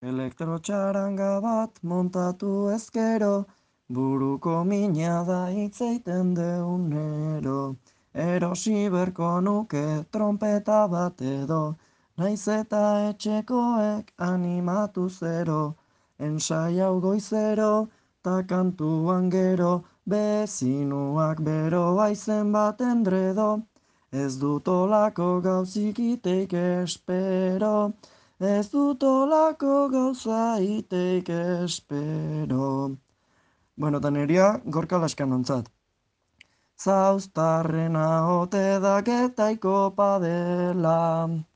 Elektrotxaranga bat montatu ezkero, buruko mina da itzeiten deunero. Erosi berko nuke trompeta bat edo, naiz eta etxekoek animatu zero. Ensai hau goizero, ta kantuan gero, bezinuak beroa izen bat endredo. Ez dut olako gauzik iteik espero, ez dut olako gauza iteik espero. Bueno, eta neria gorka laskan ontzat. Zauztarrena ote daketaiko padela.